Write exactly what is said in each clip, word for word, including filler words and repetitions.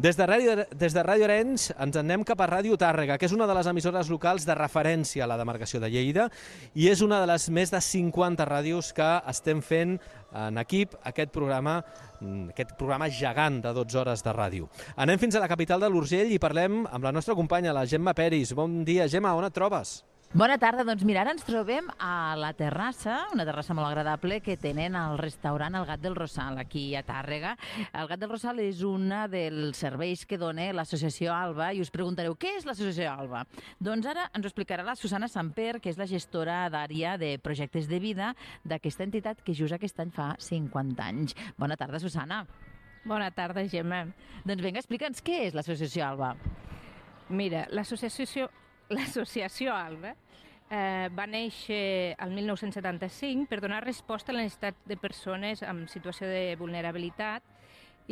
Des de Ràdio, des de Ràdio Arenys ens anem cap a Ràdio Tàrrega, que és una de les emissores locals de referència a la demarcació de Lleida i és una de les més de cinquanta ràdios que estem fent en equip aquest programa, aquest programa gegant de dotze hores de ràdio. Anem fins a la capital de l'Urgell i parlem amb la nostra companya, la Gemma Peris. Bon dia, Gemma, on et trobes? Bona tarda, doncs mira, ara ens trobem a la terrassa, una terrassa molt agradable que tenen al restaurant El Gat del Rosal, aquí a Tàrrega. El Gat del Rosal és un dels serveis que dona l'associació ALBA i us preguntareu, què és l'associació ALBA? Doncs ara ens ho explicarà la Susana Samper, que és la gestora d'àrea de projectes de vida d'aquesta entitat que just aquest any fa cinquanta anys. Bona tarda, Susana. Bona tarda, Gemma. Doncs vinga, explica'ns què és l'associació ALBA. Mira, l'associació L'associació ALBA eh, va néixer el mil nou-cents setanta-cinc per donar resposta a la necessitat de persones en situació de vulnerabilitat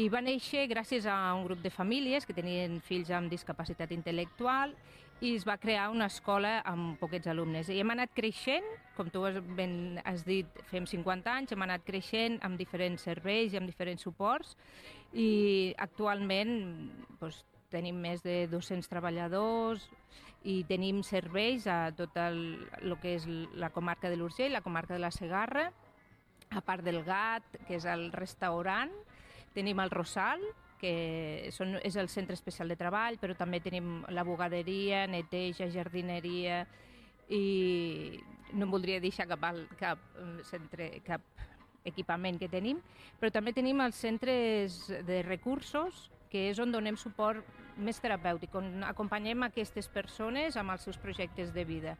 i va néixer gràcies a un grup de famílies que tenien fills amb discapacitat intel·lectual i es va crear una escola amb poquets alumnes. I hem anat creixent, com tu has, ben, has dit, fem cinquanta anys, hem anat creixent amb diferents serveis i amb diferents suports i actualment doncs, tenim més de dos-cents treballadors i tenim serveis a tot el, el que és la comarca de l'Urgell, la comarca de la Segarra, a part del Gat, que és el restaurant, tenim el Rosal, que són, és el centre especial de treball, però també tenim la bugaderia, neteja, jardineria i no em voldria deixar cap, cap, centre, cap equipament que tenim, però també tenim els centres de recursos, que és on donem suport més terapèutic, on acompanyem aquestes persones amb els seus projectes de vida,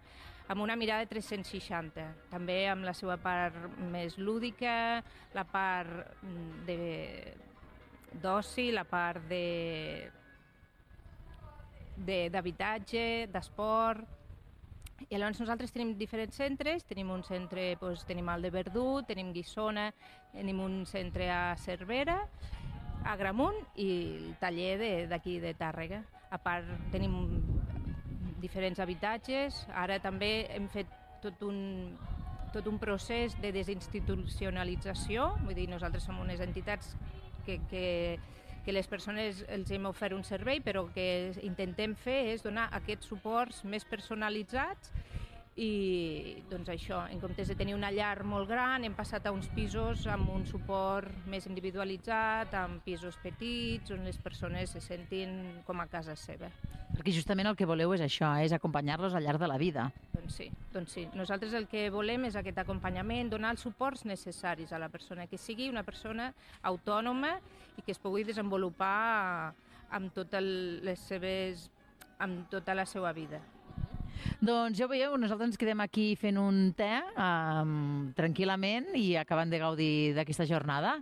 amb una mirada tres-cents seixanta, també amb la seva part més lúdica, la part d'oci, la part d'habitatge, d'esport. I llavors nosaltres tenim diferents centres, tenim un centre, doncs, tenim el de Verdú, tenim Guissona, tenim un centre a Cervera, a Gramunt i el taller d'aquí de, de Tàrrega. A part tenim diferents habitatges, ara també hem fet tot un, tot un procés de desinstitucionalització, vull dir, nosaltres som unes entitats que, que, que les persones els hem ofert un servei, però que intentem fer és donar aquests suports més personalitzats i doncs això, en comptes de tenir una llar molt gran, hem passat a uns pisos amb un suport més individualitzat, amb pisos petits, on les persones se sentin com a casa seva. Perquè justament el que voleu és això, és acompanyar-los al llarg de la vida. Doncs sí, doncs sí. Nosaltres el que volem és aquest acompanyament, donar els suports necessaris a la persona, que sigui una persona autònoma i que es pugui desenvolupar amb totes les seves, amb tota la seva vida. Doncs ja ho veieu, nosaltres ens quedem aquí fent un te um, tranquil·lament i acabant de gaudir d'aquesta jornada.